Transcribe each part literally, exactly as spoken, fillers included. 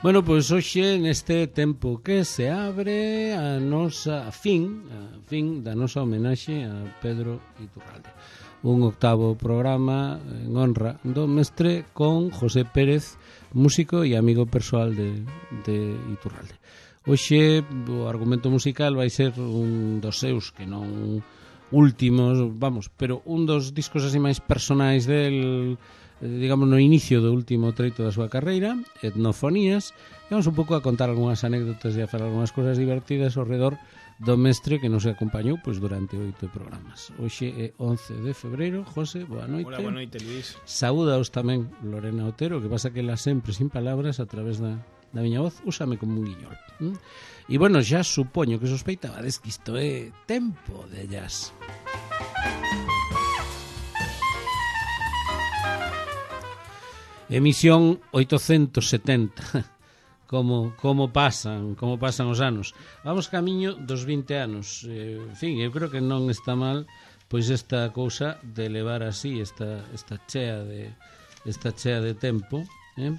Bueno, pois hoxe neste tempo que se abre a nosa a fin, a fin da nosa homenaxe a Pedro Iturralde. Un octavo programa en honra do mestre con José Pérez, músico e amigo persoal de, de Iturralde. Hoxe o argumento musical vai ser un dos seus, que non últimos, vamos, pero un dos discos así máis personais del, digamos, no inicio do último treito da súa carreira, Etnofonías, e vamos un pouco a contar algunhas anécdotas e a falar algunhas cosas divertidas ao redor do mestre que nos acompañou pois durante oito programas. Hoxe é once de febreiro. José, boa noite. Hola, boa noite, Luís. Saúdaos tamén Lorena Otero, que pasa que ela sempre sin palabras a través da, da miña voz, úsame como un guiñol. ¿Mm? E bueno, xa supoño que sospeitabades que isto é tempo de jazz. Emisión oitocentos setenta. Como, como pasan, como pasan os anos. Vamos camiño dos vinte anos. Eh, en fin, eu creo que non está mal pois esta cousa de levar así esta, esta chea de esta chea de tempo, eh?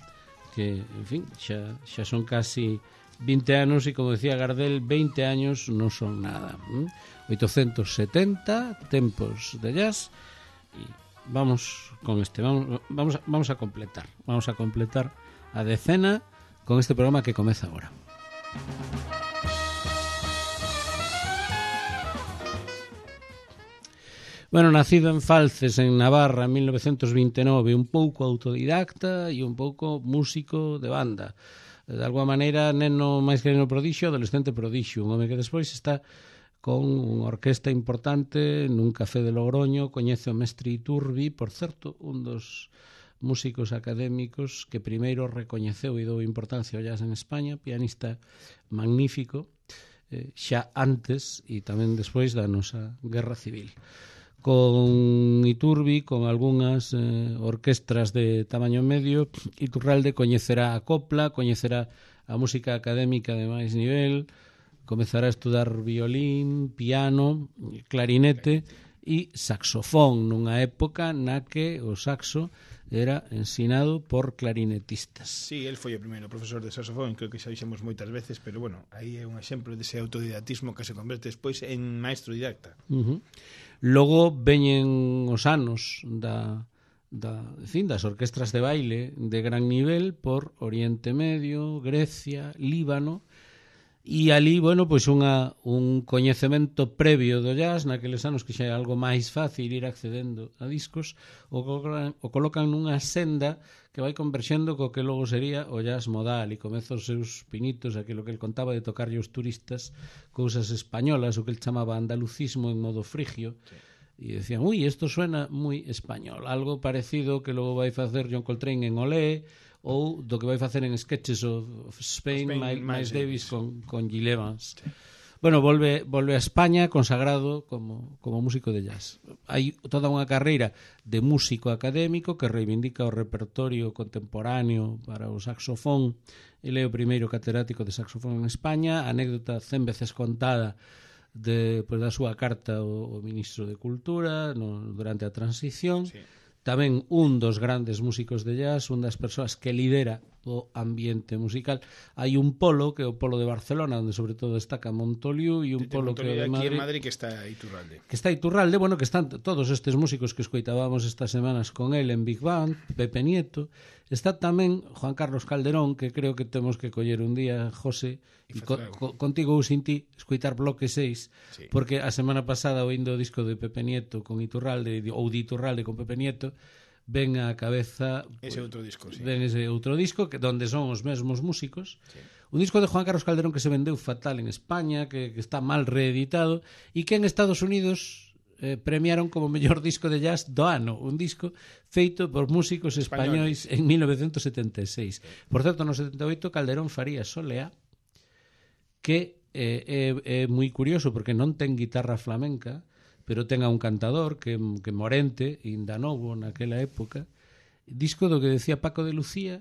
Que, en fin, xa, xa son casi vinte anos e, como decía Gardel, veinte años non son nada. Eh? oitocentos setenta, tempos de jazz, e vamos con este, vamos, vamos, vamos a completar, vamos a completar a decena con este programa que comeza agora. Bueno, nacido en Falces, en Navarra, en mil novecientos vinte e nove, un pouco autodidacta e un pouco músico de banda. De alguma maneira, neno máis que neno prodixio, adolescente prodixio, un home que despois está con unha orquesta importante nun café de Logroño, coñece o mestre Iturbi, por certo, un dos músicos académicos que primeiro recoñeceu e dou importancia ao jazz en España, pianista magnífico, eh, xa antes e tamén despois da nosa Guerra Civil. Con Iturbi, con algunhas eh, orquestras de tamaño medio, Iturralde coñecerá a copla, coñecerá a música académica de máis nivel, comezará a estudar violín, piano, clarinete e saxofón, nunha época na que o saxo era ensinado por clarinetistas. Sí, el foi o primeiro profesor de saxofón, creo que xa dixemos moitas veces, pero bueno, aí é un exemplo dese autodidatismo que se converte despois en maestro didacta. Uh-huh. Logo veñen os anos da, da, en fin, das orquestras de baile de gran nivel por Oriente Medio, Grecia, Líbano, e ali, bueno, pois unha, un coñecemento previo do jazz, naqueles anos que xa é algo máis fácil ir accedendo a discos, o colocan, o colocan nunha senda que vai converxendo co que logo sería o jazz modal, e comeza os seus pinitos, aquilo que el contaba de tocarlle os turistas cousas españolas, o que el chamaba andalucismo en modo frigio, sí. E decían, ui, isto suena moi español, algo parecido que logo vai facer John Coltrane en Olé, ou do que vai facer en Sketches of Spain, Spain Miles, Miles Davis con, con Gil Evans. Sí. Bueno, volve, volve a España consagrado como, como músico de jazz. Hai toda unha carreira de músico académico que reivindica o repertorio contemporáneo para o saxofón. Ele é o primeiro catedrático de saxofón en España, anécdota cen veces contada de, pues, da súa carta ao, ao ministro de Cultura no, durante a transición. Sí. Tamén un dos grandes músicos de jazz, un das persoas que lidera o ambiente musical. Hai un polo, que é o polo de Barcelona, onde sobre todo destaca Montoliu, e un de, polo de que é de Madrid, aquí en Madrid, que está Iturralde. Que está Iturralde, bueno, que están todos estes músicos que escoitábamos estas semanas con él en Big Band, Pepe Nieto. Está tamén Juan Carlos Calderón, que creo que temos que coller un día, José, e co, co, contigo ou sin ti, escoitar Bloque seis, sí. Porque a semana pasada, oindo o disco de Pepe Nieto con Iturralde, ou de Iturralde con Pepe Nieto, ven á cabeza ese pues, outro disco, sí. Ven ese outro disco que donde son os mesmos músicos. Sí. Un disco de Juan Carlos Calderón que se vendeu fatal en España, que, que está mal reeditado e que en Estados Unidos eh, premiaron como mellor disco de jazz do ano, un disco feito por músicos españois en mil novecientos setenta e seis. Por certo, no setenta e oito Calderón faría Soleá, que eh, é, é moi curioso porque non ten guitarra flamenca, pero ten a un cantador que, que Morente, inda novo naquela época, disco do que decía Paco de Lucía,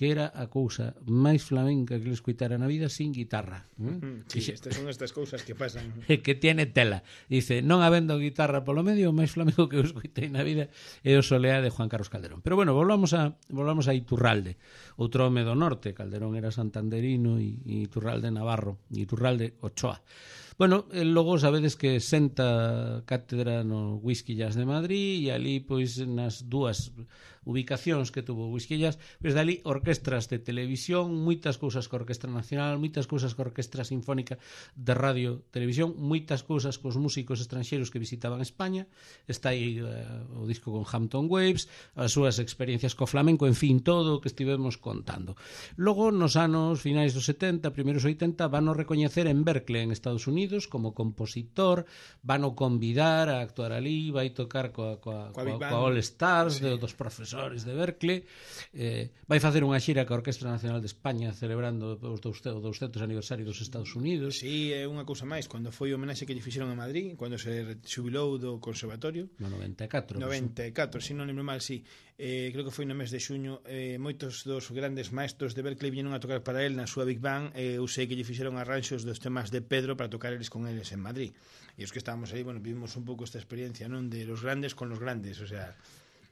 que era a cousa máis flamenca que le escuitara na vida sin guitarra. Mm, sí, que estas son estas cousas que pasan. Que tiene tela. Dice, non habendo guitarra polo medio, o máis flamenco que eu escuitei na vida é o Soleá de Juan Carlos Calderón. Pero bueno, volvamos a volvamos a Iturralde. Outro home do norte, Calderón era santanderino e, e Iturralde navarro, e Iturralde Ochoa. Bueno, logo sabedes que senta cátedra no Whisky Jazz de Madrid e ali, pois, nas dúas ubicacións que tuvo Whisky Jazz, pois dali orquestras de televisión, moitas cousas co Orquestra Nacional, moitas cousas co Orquestra Sinfónica de Radio Televisión, moitas cousas cos músicos estranxeiros que visitaban España. Está aí uh, o disco con Hampton Waves, as súas experiencias co flamenco, en fin, todo o que estivemos contando. Logo, nos anos finais dos setenta, primeiros oitenta, van o recoñecer en Berkeley, en Estados Unidos, como compositor, van o convidar a actuar ali, vai tocar coa, coa, coa, coa All Stars, sí, de, dos profesores de Berkeley, eh, vai facer unha xira coa Orquestra Nacional de España celebrando o douscentos aniversario dos Estados Unidos. Sí, é unha cousa máis, cando foi o homenaxe que lle fixeron a Madrid, cando se xubilou do conservatorio no noventa e catro, noventa e catro, se non lembro mal, sí, eh, creo que foi no mes de xuño, eh, moitos dos grandes maestros de Berkeley viñeron a tocar para el na súa Big Band, e eh, eu sei que lle fixeron arranxos dos temas de Pedro para tocar eles con eles en Madrid, e os que estábamos aí, bueno, vivimos un pouco esta experiencia, non, de los grandes con los grandes, o sea...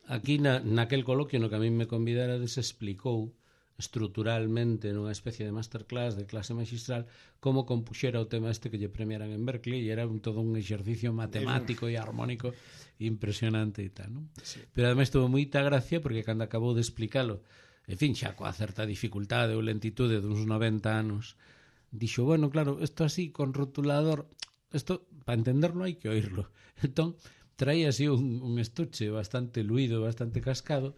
Aquí na, naquel coloquio no que a mí me convidara se explicou estruturalmente nunha especie de masterclass de clase magistral como compuxera o tema este que lle premiaran en Berkeley, e era un, todo un exercicio matemático e armónico impresionante e tal, non? Sí. Pero ademais tuvo moita gracia porque cando acabou de explicalo, en fin, xa coa certa dificultade ou lentitude duns noventa anos, dixo, bueno, claro, isto así con rotulador, isto para entenderlo hai que oírlo. Entón traía así un, un estuche bastante luído, bastante cascado,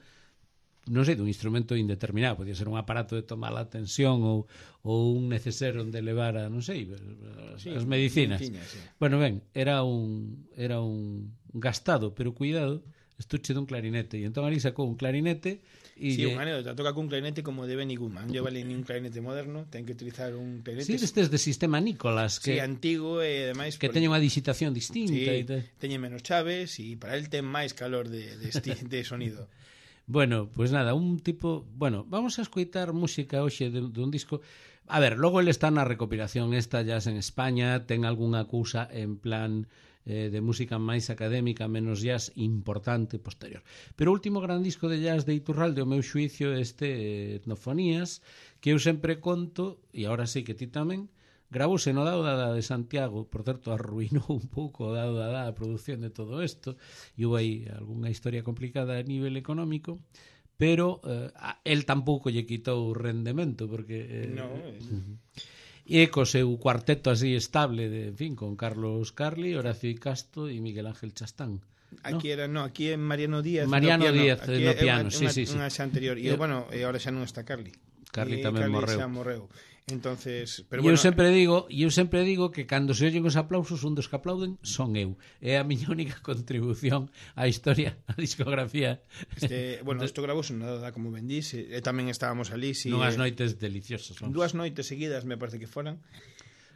non sei, dun instrumento indeterminado, podía ser un aparato de tomar a tensión ou, ou un neceser onde levar a, non sei, as, sí, as medicinas. Medicina, sí. Bueno, ben, era un era un gastado, pero cuidado, estuche dun clarinete, e entón ali sacou un clarinete e sí, lle... un anécdota, toca cun clarinete como de Benny Goodman, non vale nin un clarinete moderno, ten que utilizar un clarinete. Sí, destes de sistema Nicolas, que sí, antigo e ademais que por... teña unha digitación distinta, sí, e tal. Teñe menos chaves e para el ten máis calor de de, esti... de sonido. Bueno, pues nada, un tipo... Bueno, vamos a escoitar música hoxe de, de un disco... A ver, logo ele está na recopilación esta Jazz en España, ten algunha cousa en plan eh, de música máis académica, menos jazz importante posterior. Pero o último gran disco de jazz de Iturralde, o meu xuicio, este eh, Etnofonías, que eu sempre conto, e agora sí que ti tamén, gravouse no Dado Dada de Santiago, por certo, arruinou un pouco o Dado Dada a produción de todo isto, e houve aí algunha historia complicada a nivel económico, pero eh, el tampouco lle quitou o rendemento, porque... Eh, no, uh-huh. E co seu cuarteto así estable, de, en fin, con Carlos Carli, Horacio Icasto e Miguel Ángel Chastán. Aquí ¿no? era, no, aquí é Mariano Díaz Mariano no piano. Díaz aquí no piano, unha, sí, unha, sí, sí. Unha xa anterior, e bueno, e agora xa non está Carli. Carli e tamén Carli morreu. Xa morreu. Entonces, pero e bueno, eu sempre digo, e eu sempre digo que cando se ollen os aplausos, un dos que aplauden son eu. É a miña única contribución á historia, á discografía. Este, bueno, isto gravouse no Dada, como ben dís, e tamén estábamos ali, si Nunhas noites deliciosas. Vamos. Dúas noites seguidas, me parece que foran.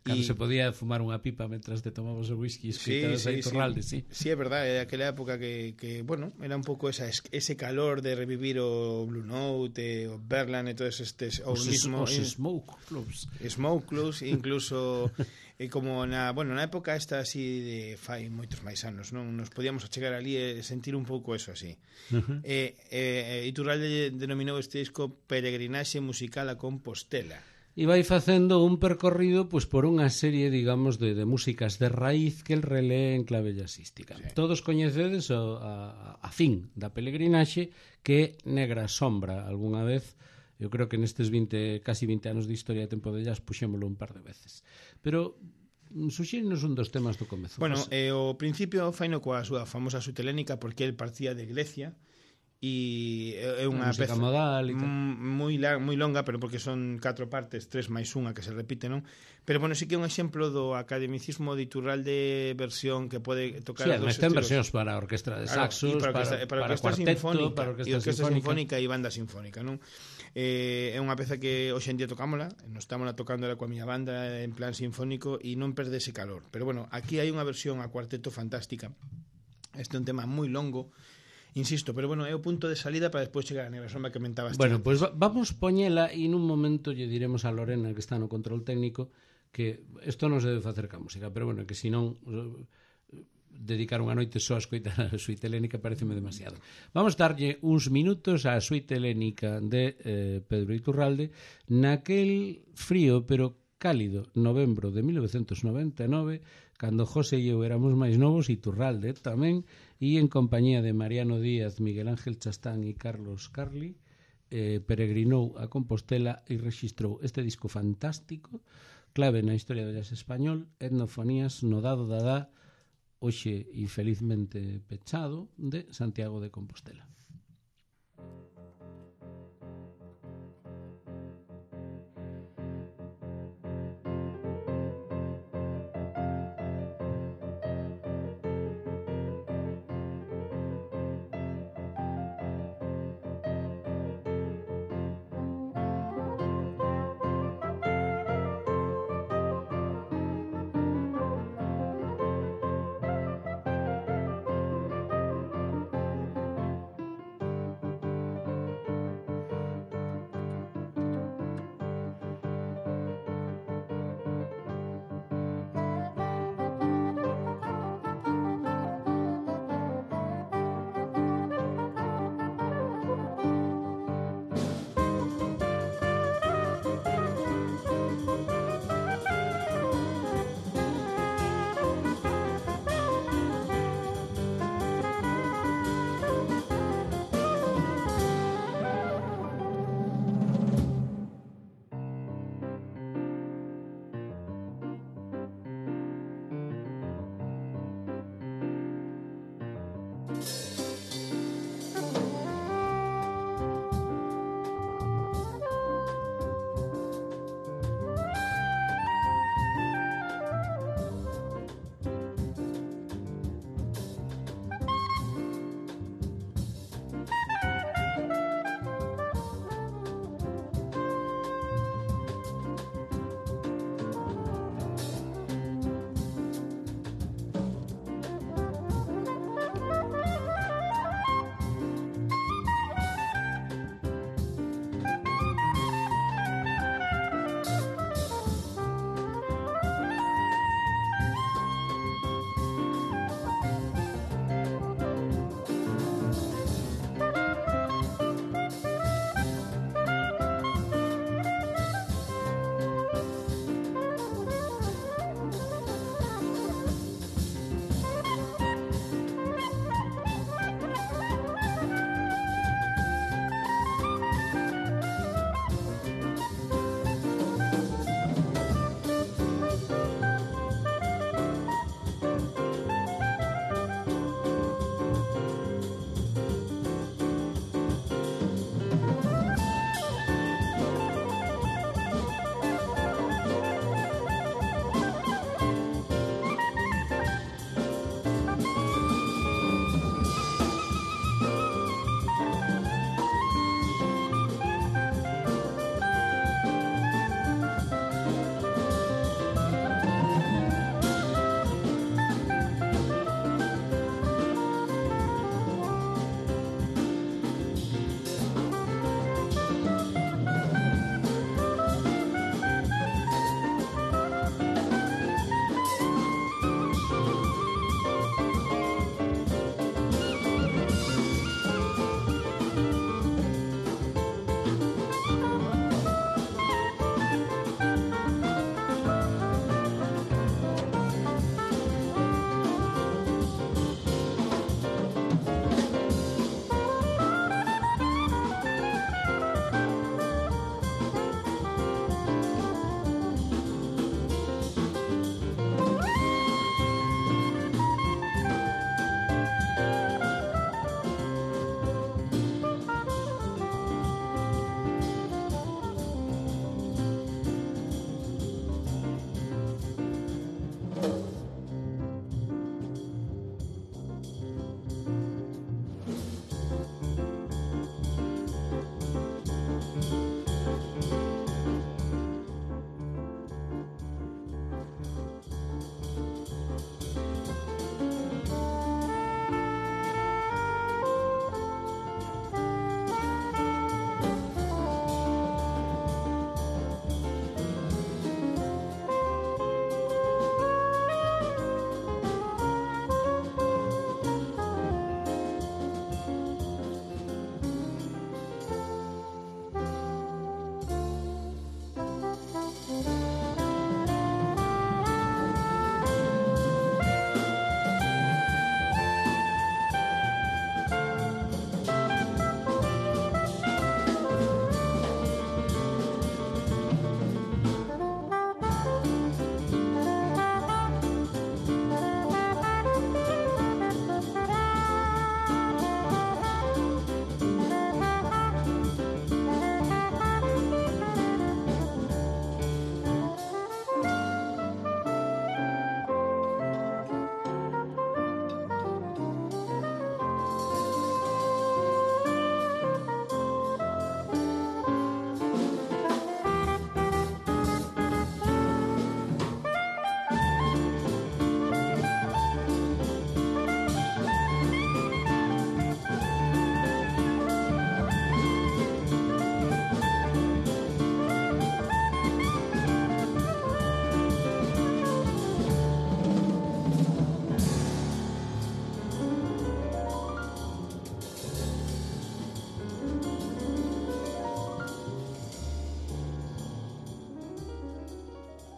Cando y... se podía fumar unha pipa mentras te tomabas o whisky e escutabas sí, sí, aí Iturralde, sí. sí. Sí, é verdade, é aquela época que, que, bueno, era un pouco esa, ese calor de revivir o Blue Note, o Berland e todos estes... O os, mismo, os Smoke Clubs. Smoke Clubs, incluso... E como na, bueno, na época esta así de fai moitos máis anos, non nos podíamos chegar ali e sentir un pouco eso así. Uh-huh. E, e Iturralde denominou este disco Peregrinaxe musical a Compostela. E vai facendo un percorrido pois por unha serie, digamos, de, de músicas de raíz que el relee en clave jazzística. Sí. Todos coñecedes o, a, a fin da peregrinaxe, que Negra Sombra algunha vez, eu creo que nestes vinte, casi vinte anos de historia de Tempo de Jazz puxémolo un par de veces. Pero suxírenos un dos temas do comezo. Bueno, eh, o principio faino coa súa famosa sutelénica, porque el partía de Grecia, e é unha peza modal moi moi longa, pero porque son catro partes, tres máis unha que se repite, non? Pero bueno, sí que é un exemplo do academicismo de Iturralde versión que pode tocar sí, dos estilos. Sí, versións para orquestra de saxos, claro, para, para, para, para orquestra sinfónica, para orquestra, e orquestra sinfónica. sinfónica e banda sinfónica, non? Eh, é unha peza que hoxe en día tocámola, nos estámola tocándola coa miña banda en plan sinfónico e non perde ese calor. Pero bueno, aquí hai unha versión a cuarteto fantástica. Este é un tema moi longo insisto, pero bueno, é o punto de salida para despois chegar a Negra Sombra que comentabas. Bueno, pois pues vamos poñela e nun momento lle diremos a Lorena que está no control técnico que isto non se debe facer ca música, pero bueno, que senón dedicar unha noite só a escoitar a suite helénica pareceme demasiado. Vamos darlle uns minutos á suite helénica de eh, Pedro Iturralde naquel frío pero cálido novembro de mil novecentos noventa e nove, cando José e eu éramos máis novos, Iturralde tamén, e en compañía de Mariano Díaz, Miguel Ángel Chastán e Carlos Carli eh, peregrinou a Compostela e rexistrou este disco fantástico, clave na historia do jazz español, Etnofonías no dado dadá, hoxe infelizmente pechado, de Santiago de Compostela.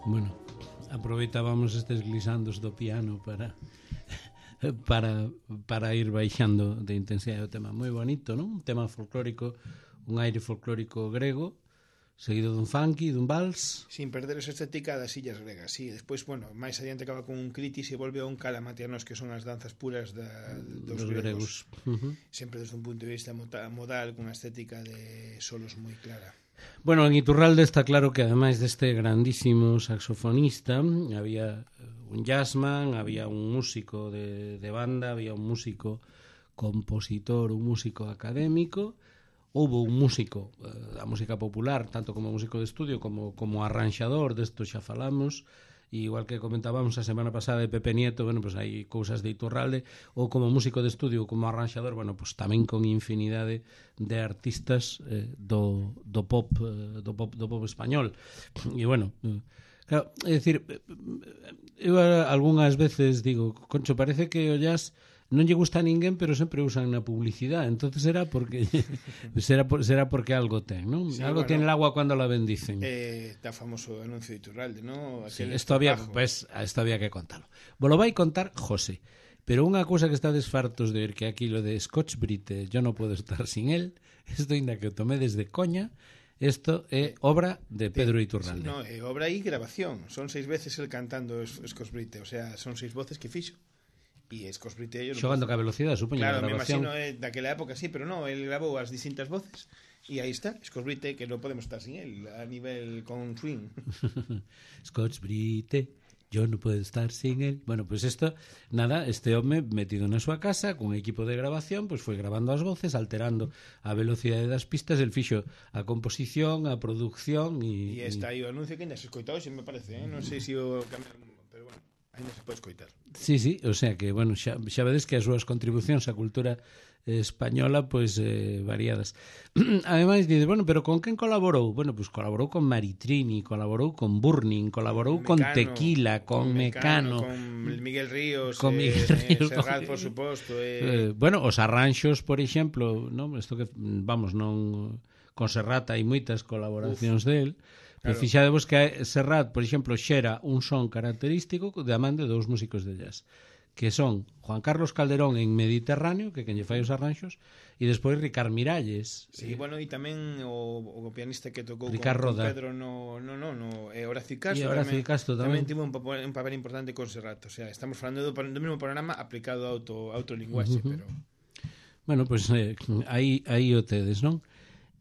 Bueno, aproveitábamos estes glisandos do piano para para para ir baixando de intensidade o tema. Moi bonito, non? Un tema folclórico, un aire folclórico grego, seguido dun funky, dun vals. Sin perder esa estética das illas gregas, sí. Despois, bueno, máis adiante acaba con un critis e volve a un calamatianos, que son as danzas puras da, dos, dos gregos. gregos. Uh-huh. Sempre desde un punto de vista modal, con unha estética de solos moi clara. Bueno, en Iturralde está claro que ademais deste grandísimo saxofonista había un jazzman, había un músico de, de banda, había un músico compositor, un músico académico. Houve un músico eh, da música popular, tanto como músico de estudio como, como arranxador, desto xa falamos, e igual que comentábamos a semana pasada de Pepe Nieto, bueno, pues hai cousas de Iturralde, ou como músico de estudio ou como arranxador, bueno, pues tamén con infinidade de artistas eh, do, do pop eh, do pop do pop español. E bueno, eh, claro, é dicir, eu algunhas veces digo, concho, parece que o jazz non lle gusta a ninguén, pero sempre usan na publicidade. Entonces será porque será, por, será porque algo ten, ¿no? Sí, algo bueno, tiene el agua cuando la bendicen. Eh, está famoso anuncio de Iturralde, ¿no? Sí, esto había, pues, esto había que contarlo. Vos lo vai contar José. Pero unha cousa que estades fartos de ver, que aquí lo de Scotch Brite, yo no puedo estar sin él, esto ainda que o tomé desde coña, esto é obra de Pedro Iturralde. No, é obra e grabación. Son seis veces el cantando Scotch Brite, o sea, son seis voces que fixo. E Scotch Brite yo xogando ca velocidade, supoño. Claro, me imagino eh, daquela época, sí, pero no, el grabou as distintas voces e aí está, Scotch Brite, que non podemos estar sin él a nivel con swing. Scotch Brite, yo no puedo estar sin él. Bueno, pues esto, nada, este home metido na súa casa con equipo de grabación, pues foi grabando as voces, alterando a velocidade das pistas, el fixo a composición, a producción e... E está aí o anuncio que ainda se escoitou, se me parece, eh? Non sei se o cambiaron, pero bueno, ainda se pode escoitar. Sí, sí, o sea que, bueno, xa, xa vedes que as súas contribucións á cultura española, pois, eh, variadas. Ademais, dices, bueno, pero con quen colaborou? Bueno, pois colaborou con Maritrini, colaborou con Burning, colaborou con, Mecano, con Tequila, con, con Mecano, Mecano, con Miguel Ríos, con Miguel eh, Ríos, Serrat, por suposto. Eh. Eh, bueno, os arranxos, por exemplo, ¿no? Esto que, vamos, non... Con Serrat hai moitas colaboracións Uf. del. Pero claro. Fixadevos que Serrat, por exemplo, xera un son característico da man de dous músicos de jazz, que son Juan Carlos Calderón en Mediterráneo, que quen lle fai os arranxos, e despois Ricard Miralles. Sí, eh, bueno, e tamén o, o pianista que tocou con, con Pedro no, no, no, no eh, Horacio Castro, e Horacio tamén, Castro tamén. tamén tivo un papel, un papel importante con Serrat, o sea, estamos falando do, do mesmo programa aplicado a auto, autolinguaxe, uh -huh. pero... Bueno, pois pues, eh, aí, aí o tedes, non?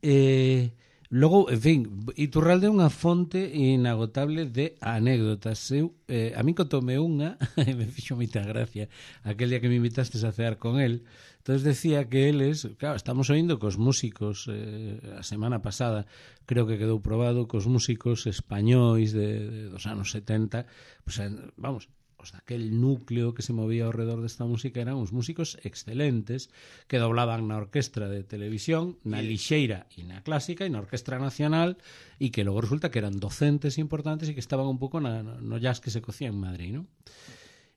Eh... Logo, en fin, Iturralde é unha fonte inagotable de anécdotas. Eu, eh, a mí contoume unha, e me fixo moita gracia, aquel día que me invitastes a cear con él. Entonces decía que eles, claro, estamos oindo cos músicos, eh, a semana pasada, creo que quedou probado, cos músicos españois de, de dos anos setenta, pues, vamos, os daquel núcleo que se movía ao redor desta música eran uns músicos excelentes que doblaban na orquestra de televisión, na lixeira e na clásica e na orquestra nacional, e que logo resulta que eran docentes importantes e que estaban un pouco na, no jazz que se cocía en Madrid, ¿no?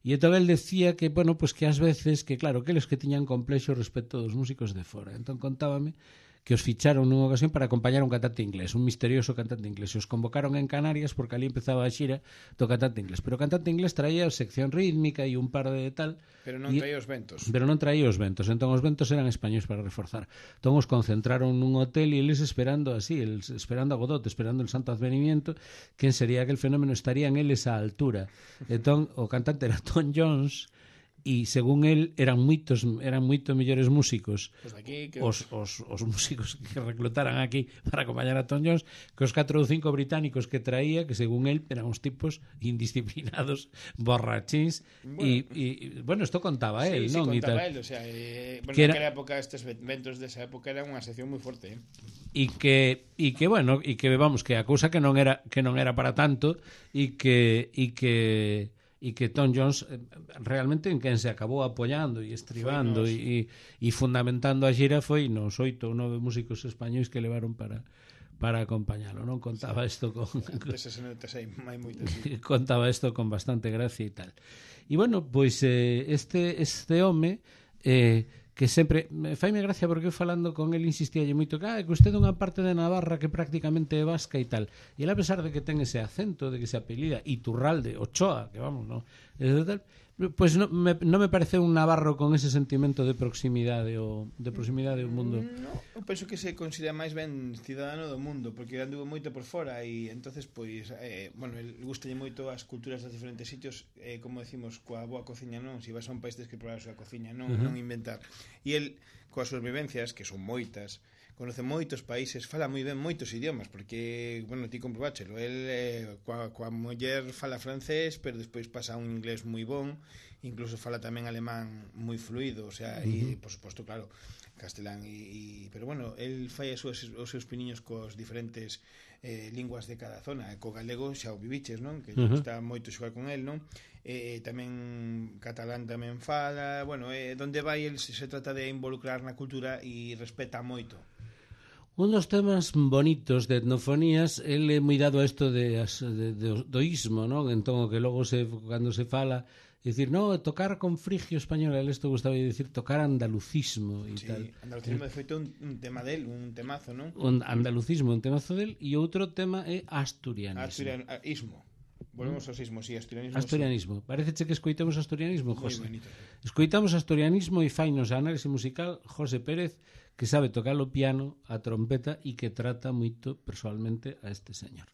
E entón el decía que, bueno, pues que ás veces, que claro, que eles que tiñan complexo respecto dos músicos de fora. Entón contábame que os ficharon nunha ocasión para acompañar a un cantante inglés, un misterioso cantante inglés. E os convocaron en Canarias porque ali empezaba a xira do cantante inglés. Pero o cantante inglés traía sección rítmica e un par de tal... Pero non traía os ventos. Pero non traía os ventos. Entón os ventos eran españois para reforzar. Entón os concentraron nun hotel e eles esperando así, eles esperando a Godot, esperando el santo advenimiento, quen sería aquel fenómeno, estarían eles á altura. Entón o cantante era Tom Jones... e según el eran moitos eran moito mellores músicos pues aquí, que... os, os, os músicos que reclutaran aquí para acompañar a Tom Jones que os catro ou cinco británicos que traía, que según el eran uns tipos indisciplinados, borrachins. Bueno, e, e bueno, isto contaba sí, él, sí, non? Contaba él, o sea, eh, bueno, era... naquela época estes ventos desa época eran unha sección moi forte, eh? E que e que bueno, e que vamos que a cousa que non era que non era para tanto e que e que e que Tom Jones realmente en quen se acabou apoiando e estribando e, e fundamentando a xira foi nos oito ou nove músicos españois que levaron para para acompañalo, non? Contaba isto con, con contaba isto con bastante gracia e tal. E bueno, pois eh, este este home eh, que sempre me faime gracia porque eu falando con el insistíalle moito que, ah, que usted é unha parte de Navarra que prácticamente é vasca e tal, e ele a pesar de que ten ese acento, de que se apelida Iturralde, Ochoa, que vamos, no, e tal, pois pues no me, non me parece un navarro con ese sentimento de proximidade o de proximidade ao mundo. No, eu penso que se considera máis ben cidadano do mundo, porque anduvo moito por fora e entonces pois eh, bueno, el gustalle moito as culturas dos diferentes sitios, eh, como decimos, coa boa cociña non, se vas a un país tens que probar a súa cociña, non, uh -huh. non inventar. E el coas súas vivencias, que son moitas, conoce moitos países, fala moi ben moitos idiomas, porque, bueno, ti comprobáchelo, el eh, coa, coa muller fala francés, pero despois pasa a un inglés moi bon, incluso fala tamén alemán moi fluido, o sea, uh -huh. e, por suposto, claro, castelán, e, e, pero bueno, el fai as súas, os seus piniños cos diferentes eh, linguas de cada zona, e co galego xa o viviches, non? Que uh -huh. está moito xogar con el, non? E tamén catalán tamén fala, bueno, eh, donde vai el se, se trata de involucrar na cultura e respeta moito. Un dos temas bonitos de etnofonías, el é moi dado a isto de, de, de, do ismo, non? Entón, o que logo se, cando se fala, dicir, no, tocar con frigio español, el isto gustaba de dicir tocar andalucismo e sí, tal. Andalucismo de feito un, un tema del, un temazo, non? Un andalucismo, un temazo del, e outro tema é asturianismo. Asturianismo. Volvemos ao sismo, sí, asturianismo. Asturianismo. Sí. Parece que escoitemos asturianismo, José. Moi bonito. Escoitamos asturianismo e fainos a análise musical José Pérez, que sabe tocar o piano, a trompeta e que trata moito personalmente a este señor.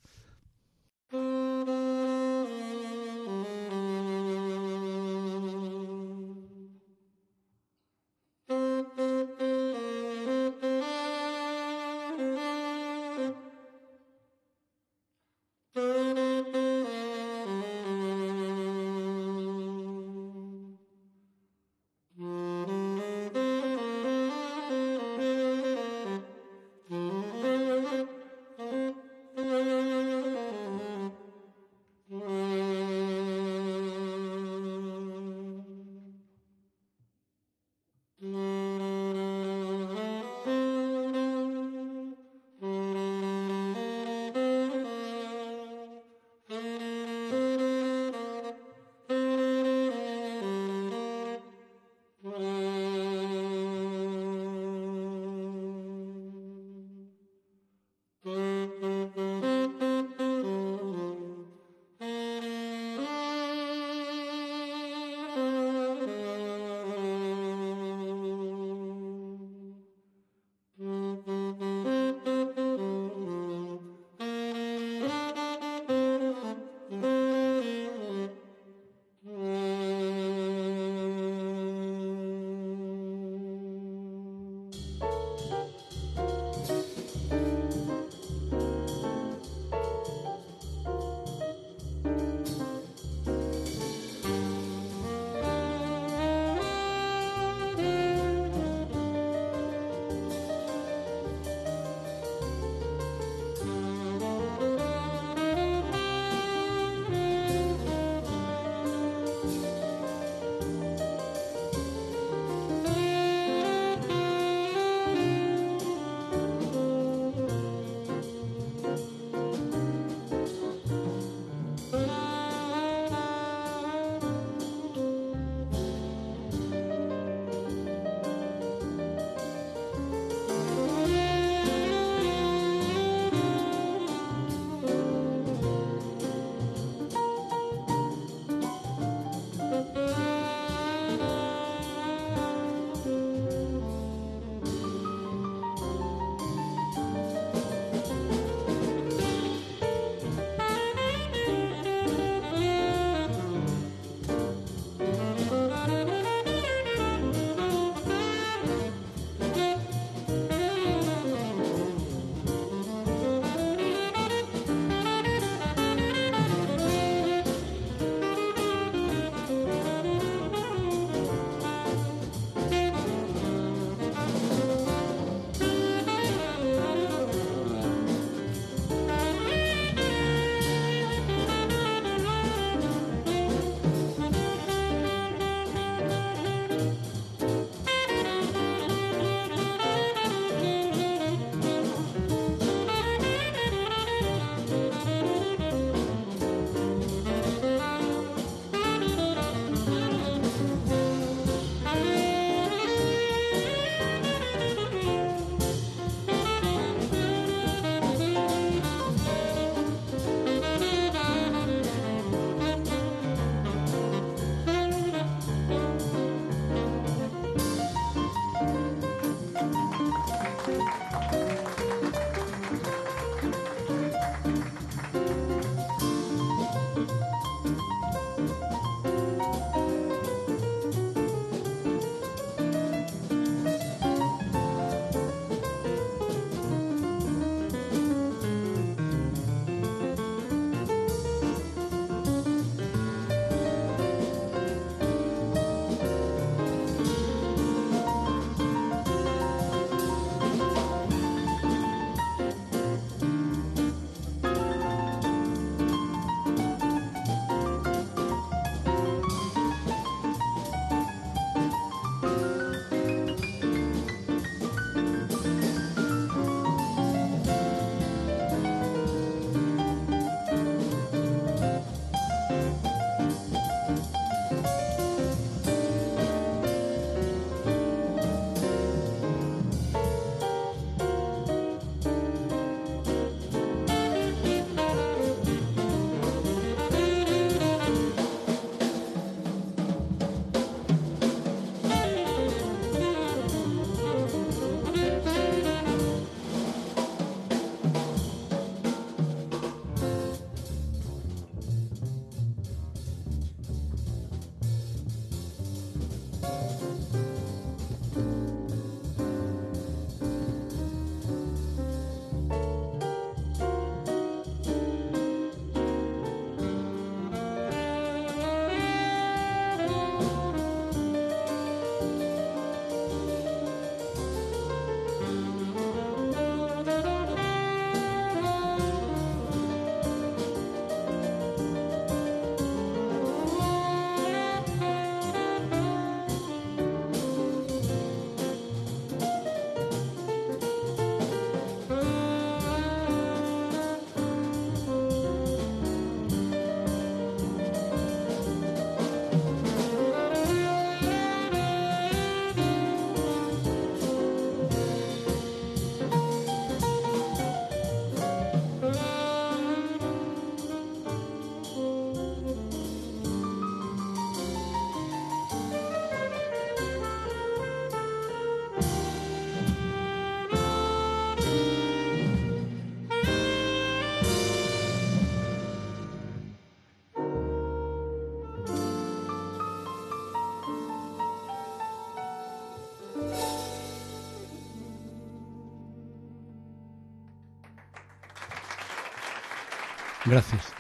Gracias.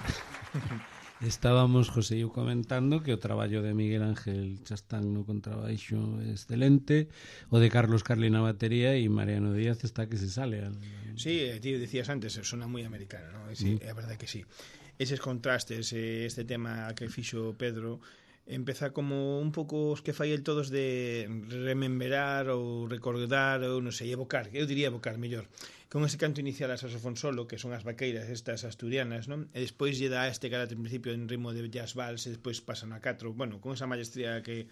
Estábamos, José e eu, comentando que o traballo de Miguel Ángel Chastán no contrabaixo é excelente, o de Carlos Carli na batería e Mariano Díaz está que se sale. Al... Sí, ti decías antes, sona moi americano, ¿no? Sí, mm. É verdade que sí. Eses contrastes, este tema que fixo Pedro, empeza como un pouco os que fai el todos de rememberar ou recordar ou non sei, evocar, eu diría evocar mellor, con ese canto inicial a saxofón solo, que son as vaqueiras estas asturianas, non? E despois lle dá este carácter en principio en ritmo de jazz vals e despois pasan a catro, bueno, con esa maestría que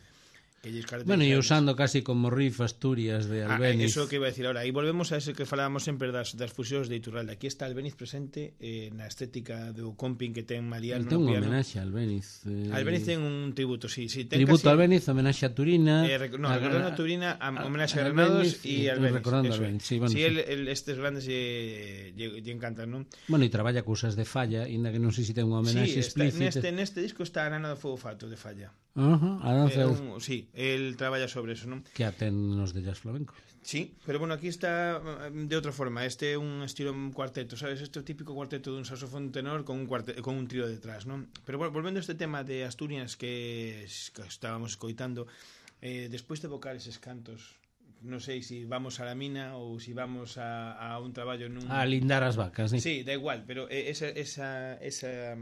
que lles caracteriza. Bueno, e usando casi como riff Asturias de Albéniz. Ah, eso que iba a decir ahora. E volvemos a ese que falábamos sempre das, das fusións de Iturralde. Aquí está Albéniz presente eh, na estética do comping que ten Mariano. Ten un homenaxe a Albéniz. Eh... Albéniz ten un tributo, sí. sí ten tributo a Albéniz, homenaxe a Turina. Eh, rec... No, a, recordando a Turina, a, homenaxe a Granados e Albéniz. Recordando a Albéniz, sí, bueno. Sí, el, el, estes grandes lle, lle, lle encantan, non? Bueno, e traballa cousas de Falla, inda que non sei se ten un homenaxe sí, está, explícito. Neste, neste disco está a Nana do Fogo Fato de Falla. Uh-huh, a danza... eh, un, sí, el traballa sobre eso, non? Que aten nos de jazz flamenco. Sí, pero bueno, aquí está de outra forma. Este é un estilo un cuarteto, sabes? Este é o típico cuarteto dun saxofón tenor con un cuarteto, con un trío detrás, non? Pero bueno, volvendo a este tema de Asturias que, que estábamos escoitando, eh, despois de evocar eses cantos, non sei se si vamos a la mina ou se si vamos a, a un traballo nun... A lindar as vacas, sí. Sí, da igual, pero esa... esa, esa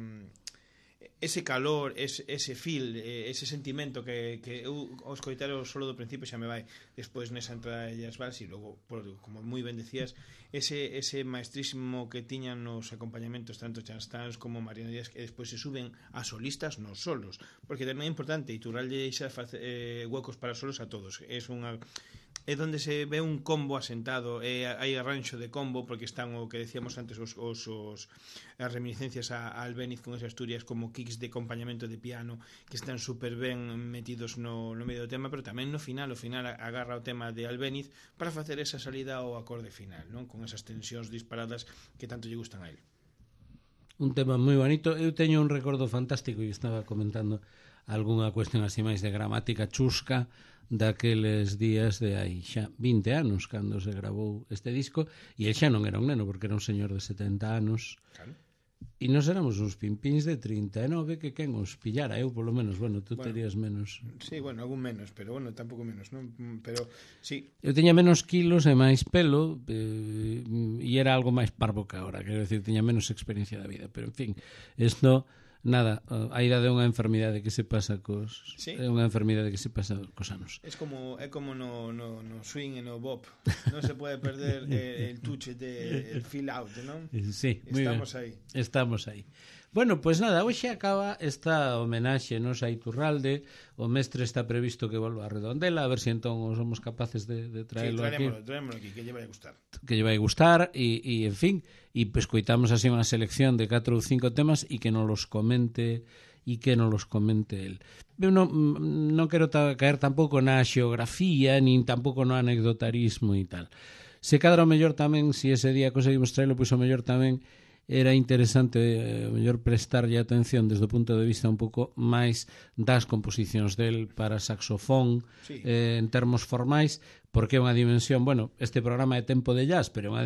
ese calor, ese, ese feel, ese sentimento que, que eu ao escoitar o solo do principio xa me vai despois nesa entrada de Jazz Vals e logo, por, como moi ben decías, ese, ese maestrísimo que tiñan nos acompañamentos tanto Chastans como Mariano Díaz, que despois se suben a solistas nos solos, porque tamén é importante Iturralde xa facer eh, huecos para solos a todos, é unha é onde se ve un combo asentado, e hai arranxo de combo porque están o que decíamos antes os, os, os as reminiscencias a, a Albéniz con esas Asturias como kicks de acompañamento de piano que están super ben metidos no, no medio do tema, pero tamén no final o final agarra o tema de Albéniz para facer esa salida ao acorde final, non? Con esas tensións disparadas que tanto lle gustan a él. Un tema moi bonito. Eu teño un recordo fantástico e estaba comentando algunha cuestión así máis de gramática chusca daqueles días de hai xa vinte anos cando se grabou este disco, e el xa non era un neno porque era un señor de setenta anos, claro. E nos éramos uns pimpins de trinta e nove que quen os pillara, eu polo menos, bueno, tú bueno, terías menos. Sí, bueno, algún menos, pero bueno, tampouco menos, non? Pero sí. Eu teña menos kilos e máis pelo eh, e era algo máis parvo que agora, quero decir, teña menos experiencia da vida, pero en fin, isto nada, a idade é unha enfermidade que se pasa cos sí. É unha enfermidade que se pasa cos anos. Es como é como no, no, no swing e no bop. Non se pode perder eh, el touch de el feel out, non? Sí, estamos aí. Estamos aí. Bueno, pois pues nada, hoxe acaba esta homenaxe nos a Iturralde. O mestre está previsto que volva a Redondela, a ver se si entón somos capaces de, de traerlo sí, aquí. Sí, traémoslo aquí, que lle vai a gustar. Que lle vai a gustar, e, e en fin, e pues coitamos así unha selección de catro ou cinco temas e que nos los comente e que nos los comente el. Eu non, non quero ta, caer tampouco na xeografía, nin tampouco no anecdotarismo e tal. Se cadra o mellor tamén, se si ese día conseguimos traerlo, pois o mellor tamén era interesante eh, mellor prestarlle atención desde o punto de vista un pouco máis das composicións del para saxofón, sí. eh, en termos formais, porque é unha dimensión, bueno, este programa é tempo de jazz, pero unha,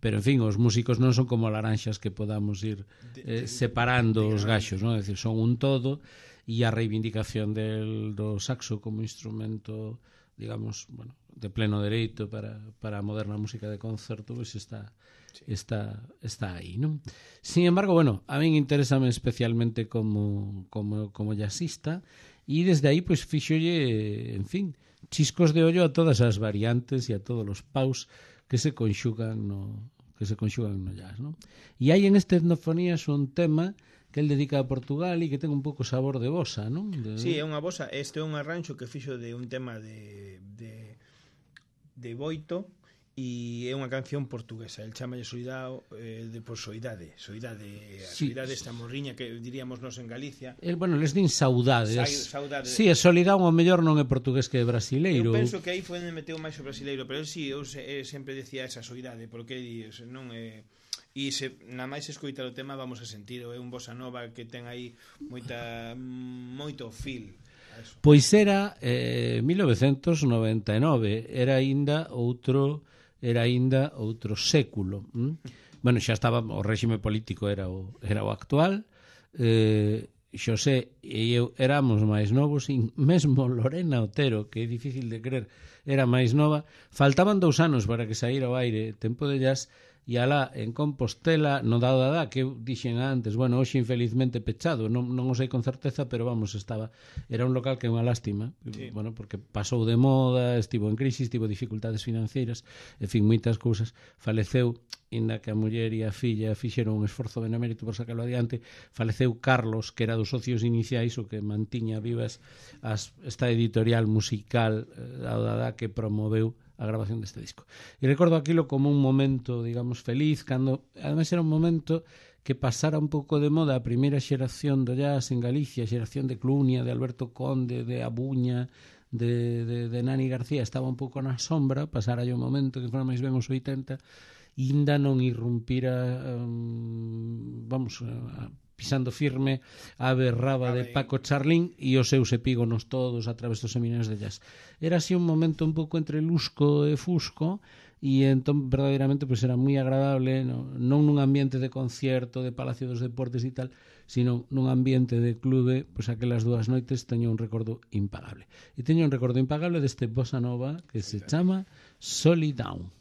pero en fin, os músicos non son como laranxas que podamos ir eh, separando os gaxos, non? É dicir, son un todo, e a reivindicación del do saxo como instrumento, digamos, bueno, de pleno dereito para, para a moderna música de concerto, pois está sí. está está aí, non? Sin embargo, bueno, a min interésame especialmente como como como jazzista, e desde aí pois fíxolle, en fin, chiscos de ollo a todas as variantes e a todos os paus que se conxugan no que se conxugan no jazz, non? E hai en este Etnofonías un tema que el dedica a Portugal e que ten un pouco sabor de bossa, non? De... Sí, é unha bossa, este é un arranxo que fixo de un tema de de de Boito, e é unha canción portuguesa, el chamalle Soidade, eh, de por soidade, soidade, a sí. Soidade esta morriña que diríamos nos en Galicia. El, bueno, les din saudades. Sa, saudade. Sí, a Solidão ao mellor non é portugués que é brasileiro. Eu penso que aí foi onde meteu máis o brasileiro, pero eu sí, eu se, eh, sempre decía esa soidade, porque non é... E se na máis escoitar o tema vamos a sentir, é un bossa nova que ten aí moita moito feel. Pois era eh, mil novecentos noventa e nove, era aínda outro era aínda outro século, hm? bueno, xa estaba, o réxime político era o, era o actual, eh, Xosé e eu éramos máis novos, e mesmo Lorena Otero, que é difícil de creer, era máis nova. Faltaban dous anos para que saíra ao aire Tempo de Jazz, e alá en Compostela, no Dao Dadá, que eu dixen antes, bueno, hoxe infelizmente pechado, non, non o sei con certeza, pero vamos, estaba, era un local que é unha lástima, sí. Bueno, porque pasou de moda, estivo en crisis, tivo dificultades financeiras, en fin, moitas cousas, faleceu, inda que a muller e a filla fixeron un esforzo benemérito por sacarlo adiante, faleceu Carlos, que era dos socios iniciais, o que mantiña vivas as, esta editorial musical eh, Dao Dadá, que promoveu a grabación deste disco. E recordo aquilo como un momento, digamos, feliz, cando, ademais, era un momento que pasara un pouco de moda a primeira xeración do jazz en Galicia, a xeración de Clunia, de Alberto Conde, de Abuña, de, de, de Nani García, estaba un pouco na sombra, pasara un momento que fora máis ben os oitenta, e ainda non irrumpira, um, vamos, a, pisando firme a berraba de Paco Charlín e os seus epígonos todos a través dos seminarios de jazz. Era así un momento un pouco entre lusco e fusco, e entón verdadeiramente pues, era moi agradable, no, non nun ambiente de concierto de Palacio dos Deportes e tal, sino nun ambiente de clube, pois pues, aquelas dúas noites teño un recordo impagable. E teño un recordo impagable deste bossa nova que se chama Solidown.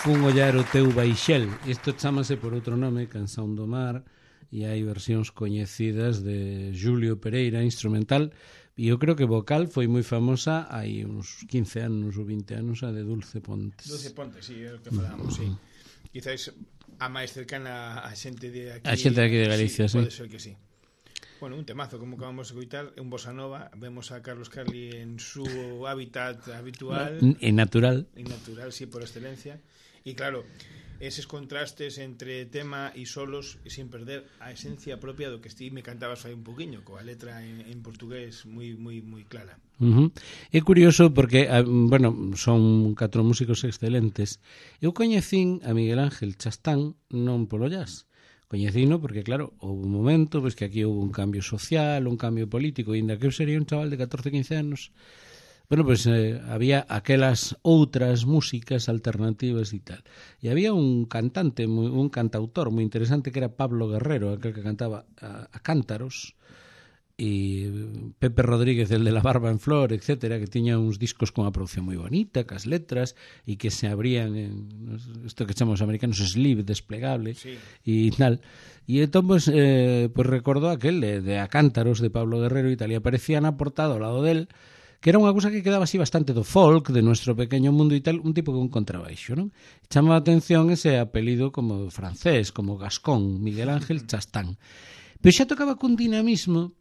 Fun ollar o teu baixel. Isto chámase por outro nome, Canción do Mar, e hai versións coñecidas de Julio Pereira, instrumental, e eu creo que vocal foi moi famosa hai uns quince anos ou vinte anos, a de Dulce Pontes. Dulce Pontes, sí, é o que falamos, sí. Quizás a máis cercana a xente de aquí. A xente de aquí de Galicia, sí. sí. Pode ser que sí. Bueno, un temazo, como acabamos de escoitar, un bossa nova. Vemos a Carlos Carli en su hábitat habitual. E natural. E natural, sí, por excelencia. E claro, eses contrastes entre tema e solos sin perder a esencia propia do que ti me cantabas fai un poquinho, coa letra en, en portugués moi moi moi clara. Uh -huh. É curioso porque, bueno, son catro músicos excelentes. Eu coñecín a Miguel Ángel Chastán non polo jazz. Coñecino porque, claro, houve un momento pois, que aquí houve un cambio social, un cambio político, e ainda que eu sería un chaval de catorce, quince anos, bueno, pois eh, había aquelas outras músicas alternativas e tal. E había un cantante, muy, un cantautor moi interesante que era Pablo Guerrero, aquel que cantaba a, a cántaros, e Pepe Rodríguez, el de La Barba en Flor, etcétera, que tiña uns discos con a producción moi bonita, cas letras, e que se abrían en isto que chamamos americanos sleeve desplegable, sí. E tal. E entón, pues, eh, pues recordou aquel de, de A Cántaros de Pablo Guerrero e tal, e aparecía na portada ao lado del, que era unha cousa que quedaba así bastante do folk, de nuestro pequeño mundo e tal, un tipo con contrabaixo, non? Chama a atención ese apelido como francés, como gascón, Miguel Ángel Chastán. Pero xa tocaba cun dinamismo,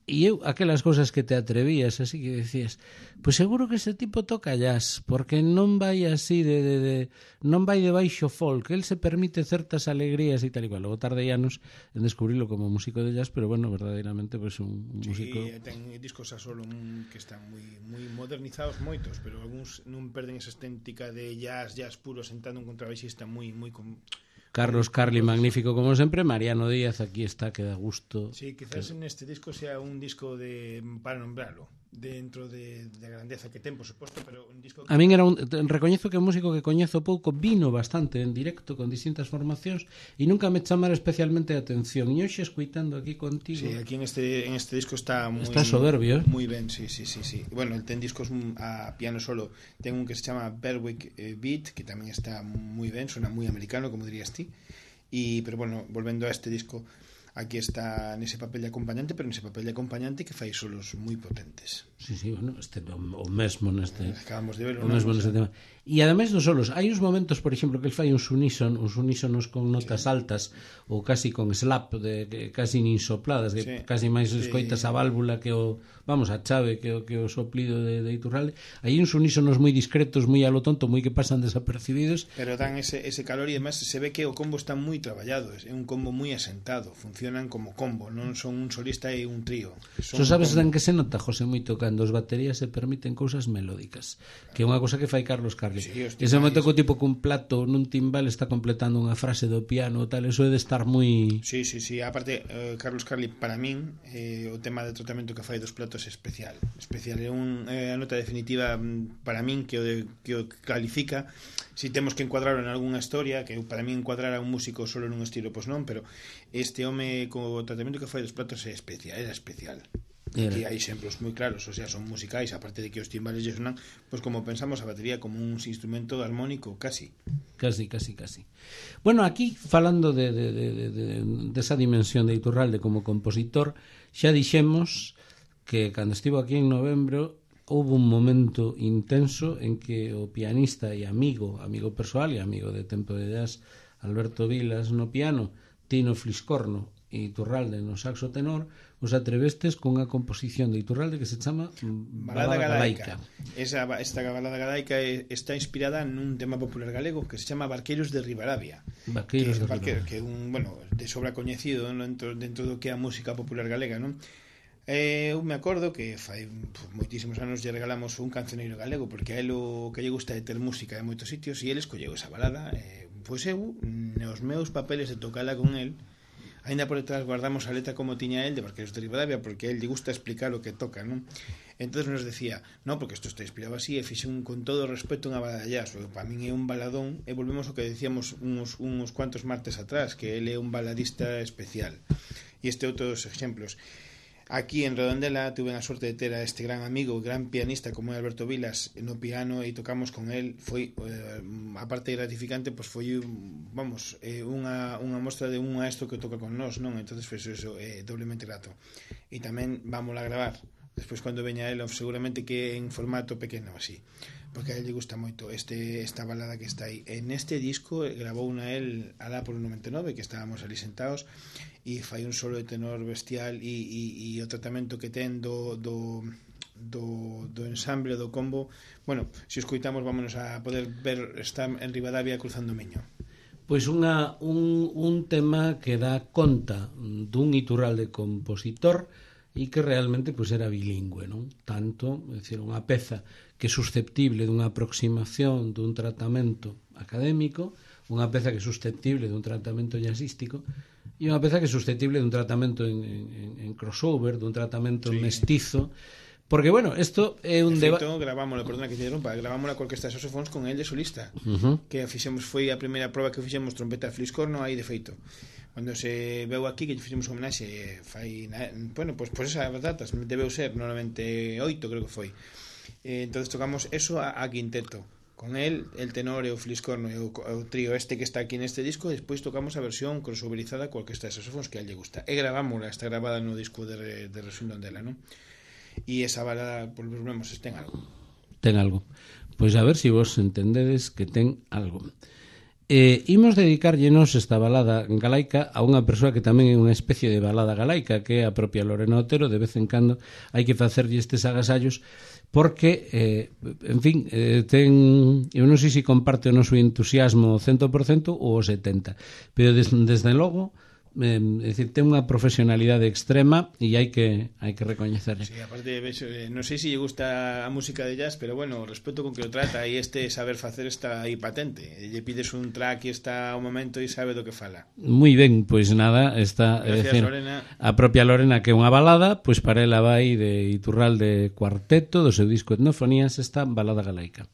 e eu, aquelas cousas que te atrevías, así que decías, pois seguro que ese tipo toca jazz, porque non vai así de, de, de non vai de baixo folk, el se permite certas alegrías e tal e cual. Logo tardei anos en descubrirlo como músico de jazz, pero bueno, verdadeiramente pois un, un sí, músico. Sí, ten discos a solo un, que están moi moi modernizados moitos, pero algúns non perden esa estética de jazz, jazz puro sentando un contrabaixista moi moi con Carlos Carli, magnífico como sempre. Mariano Díaz, aquí está, que da gusto. Sí, quizás que... en este disco sea un disco de, para nombrarlo, dentro de, de a grandeza que ten, por suposto, pero un disco que... A min era un, recoñezo que é un músico que coñezo pouco, vino bastante en directo con distintas formacións e nunca me chamara especialmente a atención. E hoxe escuitando aquí contigo... Sí, aquí en este en este disco está moi... Está soberbio, eh? Moi ben, sí, sí, sí, sí. Bueno, el ten discos a piano solo. Ten un que se chama Berwick Beat, que tamén está moi ben, suena moi americano, como dirías ti. Y, pero bueno, volvendo a este disco, aquí está nese papel de acompañante, pero nese papel de acompañante que fai solos moi potentes. Sí, sí, bueno, este o mesmo neste. Acabamos de verlo, o mesmo neste tema. E ademais dos solos, hai uns momentos, por exemplo, que el fai uns uníson, uns unísonos con notas sí. altas ou casi con slap, de que casi nin sopladas, que sí. casi máis escoitas sí. a válvula que o, vamos, a chave que o que o soplido de, de Iturralde. Hai uns unísonos moi discretos, moi a lo tonto, moi que pasan desapercibidos, pero dan ese ese calor e además se ve que o combo está moi traballado, é un combo moi asentado, funcionan como combo, non son un solista e un trío. Son so sabes dan que se nota, José, moito cando os baterías se permiten cousas melódicas, que é unha cousa que fai Carlos Carli. Sí, ese momento que o tipo cun plato nun timbal está completando unha frase do piano tal, eso é de estar moi... Sí, sí, sí, aparte eh, Carlos Carli para min eh, o tema de tratamento que fai dos platos é especial, especial, é un, eh, a nota definitiva para min que o, de, que o califica. Si temos que encuadrarlo en algunha historia, que para min encuadrar a un músico solo nun estilo, pois non, pero este home co tratamento que fai dos platos é especial, era especial. Aquí hai exemplos moi claros, o sea, son musicais, aparte de que os timbales lle sonan, pois como pensamos a batería como un instrumento armónico, casi. Casi, casi, casi. Bueno, aquí, falando de, de, de, de, de esa dimensión de Iturralde como compositor, xa dixemos que cando estivo aquí en novembro houve un momento intenso en que o pianista e amigo, amigo persoal e amigo de tempo de jazz, Alberto Vilas no piano, Tino Fliscorno e Iturralde no saxo tenor, os atrevestes con a composición de Iturralde que se chama Balada Galaica. Esa, esta Balada Galaica está inspirada nun tema popular galego que se chama Barqueiros de Ribadavia. Barqueiros de Ribadavia. Que é un, bueno, de sobra coñecido dentro, dentro do que é a música popular galega, non? Eh, eu me acordo que fai pues, moitísimos anos lle regalamos un cancioneiro galego porque a ele o que lle gusta é ter música en moitos sitios e ele escolleu esa balada. Eh, pois eu, nos meus papeles de tocala con el, ainda por detrás guardamos a letra como tiña el de Barqueiros de Ribadavia porque a él lle gusta explicar o que toca, non? Entonces nos decía, no, porque isto está inspirado así e fixe un, con todo o respeto unha balada jazz, para min é un baladón e volvemos ao que decíamos uns, uns cuantos martes atrás, que ele é un baladista especial e este outros exemplos. Aquí en Redondela tuve a sorte de ter a este gran amigo, gran pianista como é Alberto Vilas no piano, e tocamos con el. Foi, eh, a parte gratificante, pois foi, vamos, eh, unha, unha mostra de un maestro que toca con nós, non? Entonces foi eso, eh, doblemente grato. E tamén vamos a gravar despois cando veña el, seguramente que en formato pequeno así, porque a ele lle gusta moito este, esta balada que está aí. En este disco gravou na el alá por o noventa e nove, que estábamos ali sentados, e fai un solo de tenor bestial, e, e, e o tratamento que ten do, do, do, do ensamble, do combo. Bueno, se escoitamos vámonos a poder ver, está en Ribadavia cruzando o Miño. Pois unha, un, un tema que dá conta dun Iturralde compositor e que realmente pois, era bilingüe, non? Tanto, é dicir, unha peza que é susceptible dunha aproximación dun tratamento académico, unha peza que é susceptible dun tratamento jazzístico, e unha peza que é susceptible dun tratamento en, en, en crossover, dun tratamento sí. mestizo, porque, bueno, isto é un debate. De feito, gravámoslo, perdona que te interrumpa, gravámoslo con orquesta de saxofóns con el de solista, uh-huh. que fixemos, foi a primeira proba que fixemos trompeta fliscorno aí de feito. Cando se veu aquí que fixemos homenaxe fai, bueno, pois pues, pues esas datas debeu ser no noventa e oito, creo que foi. Eh, entonces tocamos eso a, a quinteto con el, el tenor e o fliscorno e o, o trío este que está aquí neste disco, e despois tocamos a versión crossoverizada coa orquesta de saxofóns que a lle gusta. E gravámola, está grabada no disco de, de Resundondela, non? E esa balada, por pues, vemos, ten algo. Ten algo. Pois a ver se si vos entendedes que ten algo. Eh, imos dedicarllenos esta balada galaica a unha persoa que tamén é unha especie de balada galaica, que é a propia Lorena Otero. De vez en cando hai que facerlle estes agasallos porque, eh, en fin, eh, ten, eu non sei se comparte o noso entusiasmo cento por cento ou o setenta por ciento, pero des, desde logo eh, é dicir, ten unha profesionalidade extrema e hai que hai que recoñecerle. Sí, aparte, eh, non sei se lle gusta a música de jazz, pero bueno, o respeto con que o trata e este saber facer está aí patente. Lle pides un track e está ao momento e sabe do que fala. Moi ben, pois nada, está, gracias, decir, Lorena. A propia Lorena, que é unha balada, pois para ela vai de Iturralde Cuarteto, do seu disco Etnofonías, esta balada galaica.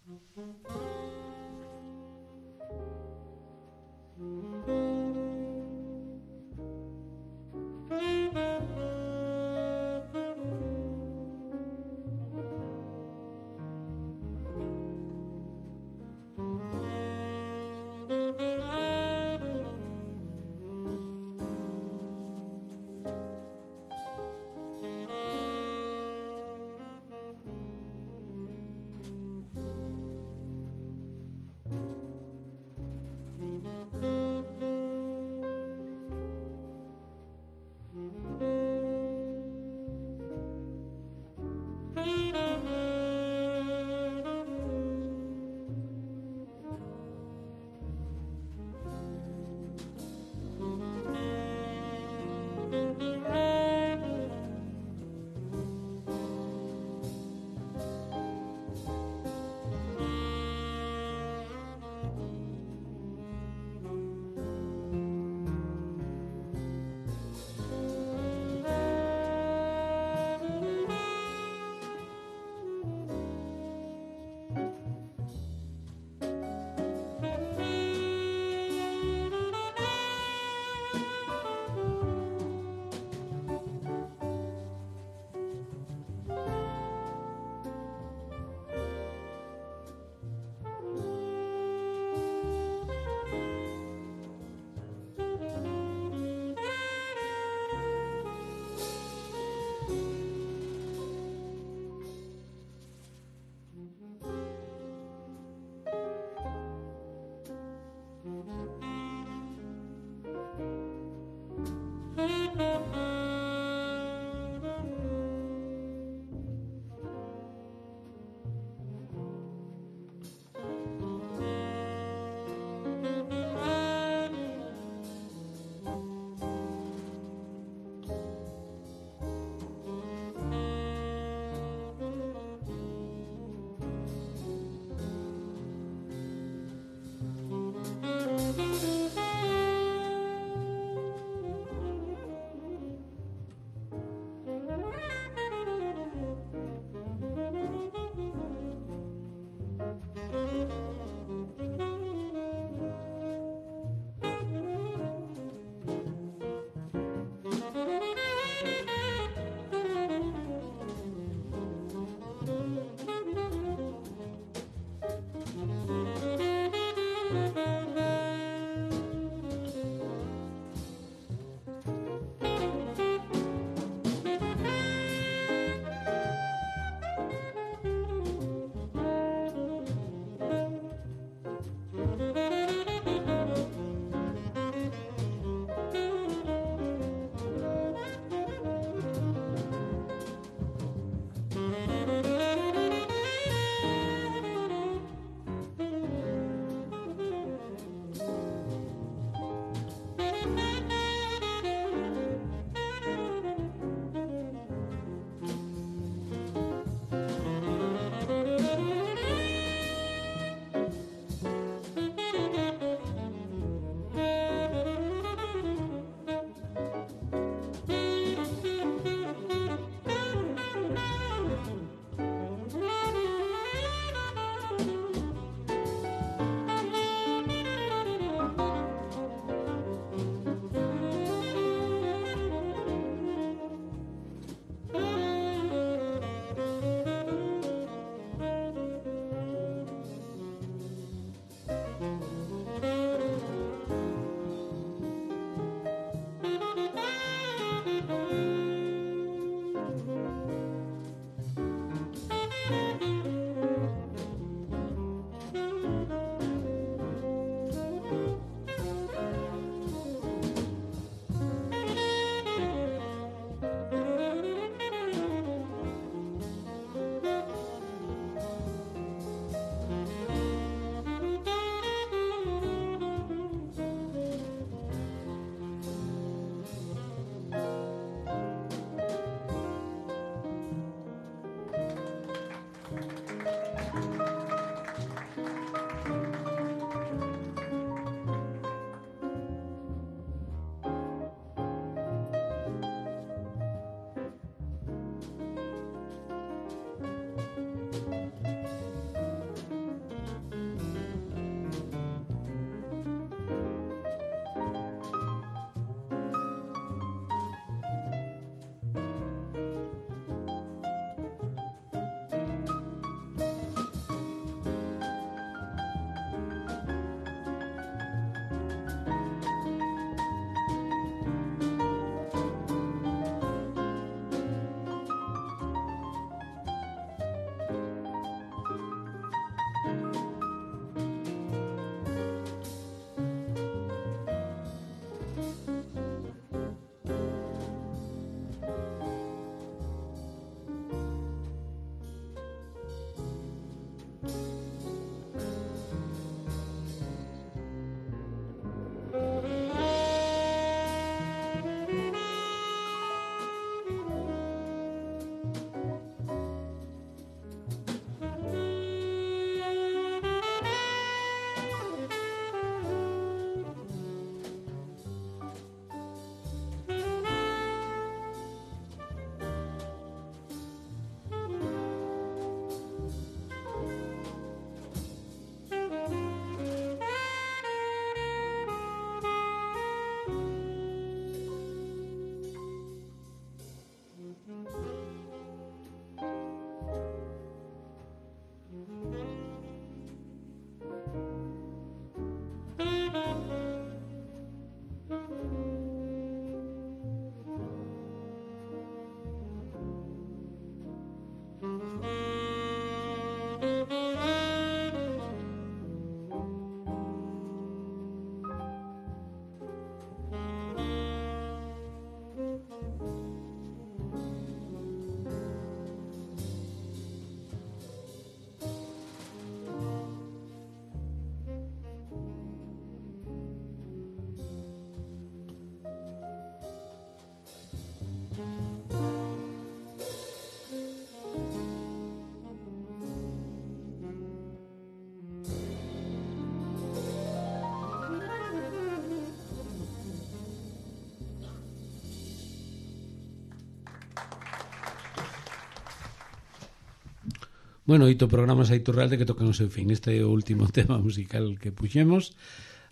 Bueno, oito programas a Iturralde que tocan o seu fin. Este é o último tema musical que puxemos.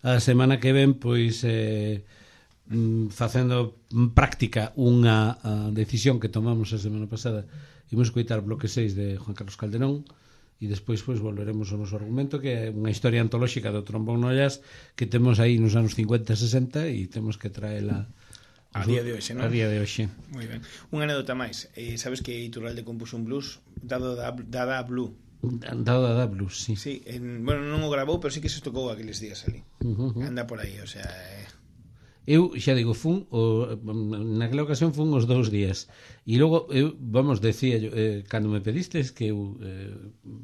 A semana que ven, pois, eh, facendo práctica unha decisión que tomamos a semana pasada, imos coitar bloque seis de Juan Carlos Calderón, e despois pois volveremos ao noso argumento, que é unha historia antolóxica do trombón no jazz que temos aí nos anos cincuenta e sesenta e temos que traela a día de hoxe, non? A día de hoxe. Moi ben. Unha anécdota máis. Eh, sabes que Iturralde compuxo un blues dado da, da Blue. Dado da blues, sí. Sí, en, bueno, non o grabou, pero sí que se tocou aqueles días ali. Uh -huh. Anda por aí, o sea... Eh... Eu xa digo, fun o, naquela ocasión fun os dous días e logo eu, vamos, decía yo, eh, cando me pedistes que eu eh,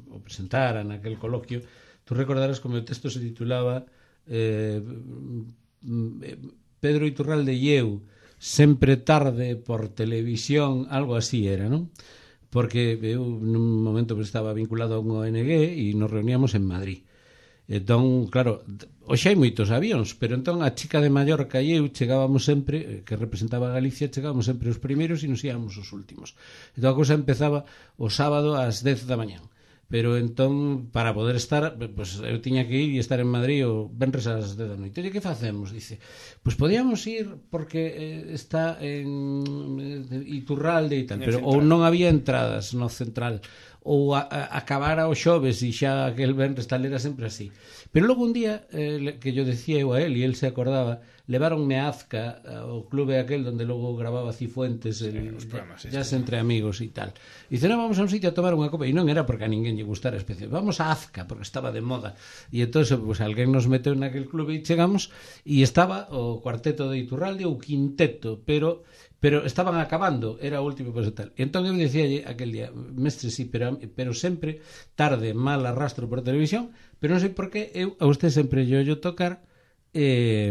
o presentara naquel coloquio, tú recordarás como o texto se titulaba eh, Pedro Iturralde e eu sempre tarde por televisión, algo así era, non? Porque eu nun momento estaba vinculado a un O N G e nos reuníamos en Madrid. Entón, claro, hoxe hai moitos avións, pero entón a chica de Mallorca e eu chegábamos sempre, que representaba a Galicia, chegábamos sempre os primeiros e nos íamos os últimos. Entón a cousa empezaba o sábado ás dez da mañán. Pero entón, para poder estar, pues, eu tiña que ir e estar en Madrid o venres ás dez da noite. E que facemos? Dice, pues podíamos ir porque eh, está en eh, Iturralde e tal, pero ou non había entradas no central, ou a, a, acabara o xoves e xa aquel venres tal, era sempre así. Pero logo un día, eh, que yo decía eu a él e él se acordaba, leváronme a Azca, ao clube aquel donde logo grababa Cifuentes, el, sí, ya entre amigos e tal. E dice, non, vamos a un sitio a tomar unha copa, e non era porque a ninguén lle gustara especial, vamos a Azca porque estaba de moda. E entón, pues, alguén nos meteu naquel clube e chegamos e estaba o cuarteto de Iturralde, o quinteto, pero pero estaban acabando, era o último pues, tal. E entón eu dicía aquel día, mestre, sí, pero, pero sempre tarde, mal arrastro por televisión, pero non sei por qué eu a usted sempre yo yo tocar eh,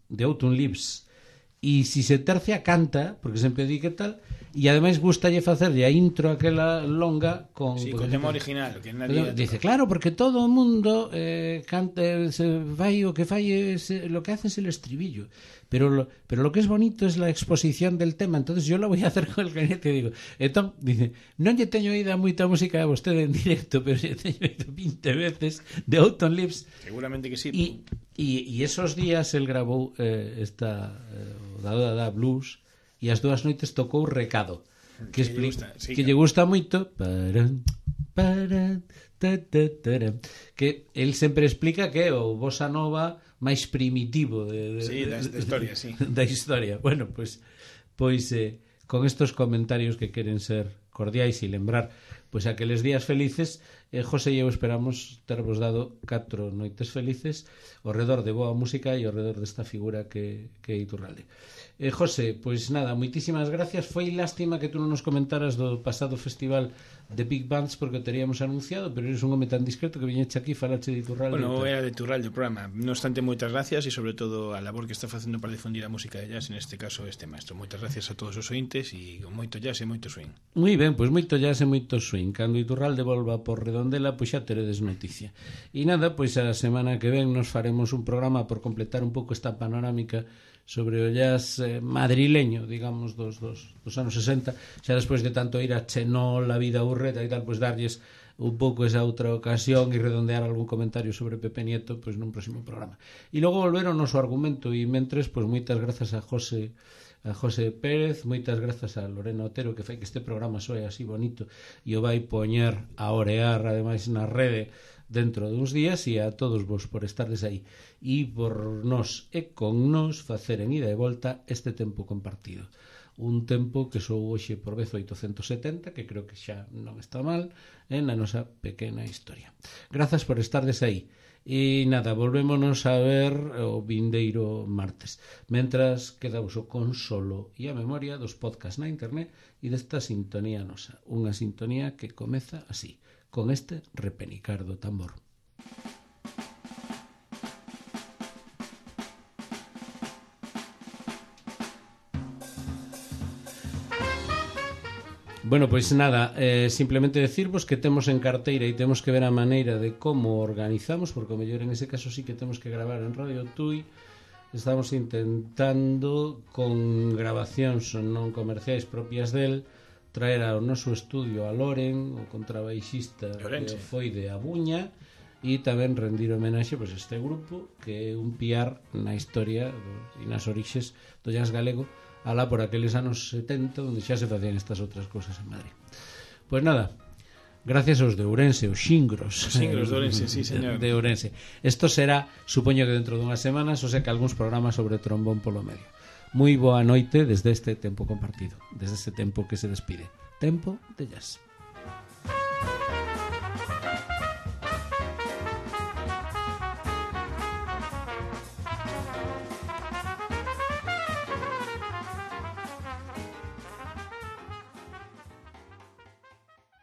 The Autumn Leaves, e si se tercia canta, porque sempre di que tal, e ademais gustalle facerlle a intro aquela longa con, sí, con tema original, que nadie dice, claro, porque todo o mundo eh, canta, se vai o que fai es, lo que hace es el estribillo, pero lo, pero lo que es bonito es la exposición del tema, entonces yo lo voy a hacer con el clarinete, digo. Entón, dice, non lle teño oída moita música a vostede en directo, pero lle teño oído veinte veces de Autumn Leaves. Seguramente que sí. E, e, e esos días el grabou eh, esta eh, Dada da Blues, e as dúas noites tocou Recado, que, que, lle, gusta, sí, que claro. lle gusta moito, para, para, ta, ta, ta, que el sempre explica que é o bossa nova máis primitivo de, de, sí, da, da historia, sí. da historia. Bueno, pois pois eh, con estos comentarios que queren ser cordiais e lembrar pois aqueles días felices, eh, José e eu esperamos tervos dado catro noites felices ao redor de boa música e ao redor desta figura que, que é Iturralde. Eh, José, pois nada, moitísimas gracias. Foi lástima que tú non nos comentaras do pasado festival de Big Bands porque o teríamos anunciado, pero eres un home tan discreto que viñeche aquí falache de Iturralde. Bueno, era de Iturralde o programa. No obstante, moitas gracias e sobre todo a labor que está facendo para difundir a música de jazz, en este caso este maestro. Moitas gracias a todos os ointes e con moito jazz e moito swing. Moi ben, pois moito jazz e moito swing. Cando Iturralde volva por Redondela, pois xa teredes noticia. E nada, pois a semana que ven nos faremos un programa por completar un pouco esta panorámica sobre o jazz eh, madrileño, digamos, dos, dos, dos anos sesenta, xa despois de tanto ir a Chenol, a Vida Urreta e tal, pois darlles un pouco esa outra ocasión e redondear algún comentario sobre Pepe Nieto pois nun próximo programa. E logo volver ao noso argumento e mentres, pois moitas grazas a José a José Pérez, moitas grazas a Lorena Otero que fai que este programa soe así bonito e o vai poñer a orear ademais na rede dentro duns días, e a todos vos por estardes aí e por nós e con nós facer en ida e volta este tempo compartido, un tempo que sou hoxe por vez oitocentos e setenta, que creo que xa non está mal en a nosa pequena historia. Grazas por estardes aí e nada, volvémonos a ver o vindeiro martes. Mentras, quedamos o consolo e a memoria dos podcast na internet e desta sintonía nosa, unha sintonía que comeza así, con este repenicar do tambor. Bueno, pois nada, eh, simplemente decirvos que temos en carteira e temos que ver a maneira de como organizamos, porque o mellor en ese caso sí que temos que gravar en Radio Tui. Estamos intentando con grabacións non comerciais propias del traer ao noso estudio a Loren, o contrabaixista que foi de Abuña, e tamén rendir homenaxe pois, a este grupo que é un piar na historia do, e nas orixes do jazz galego alá por aqueles anos setenta onde xa se facían estas outras cosas en Madrid. Pois nada, gracias aos de Ourense, os xingros. Os xingros de Ourense, sí, señor. De Ourense. Isto será, supoño que dentro dunhas semanas, o sei que algúns programas sobre trombón polo medio. Moi boa noite desde este tempo compartido, desde este tempo que se despide. Tempo de jazz.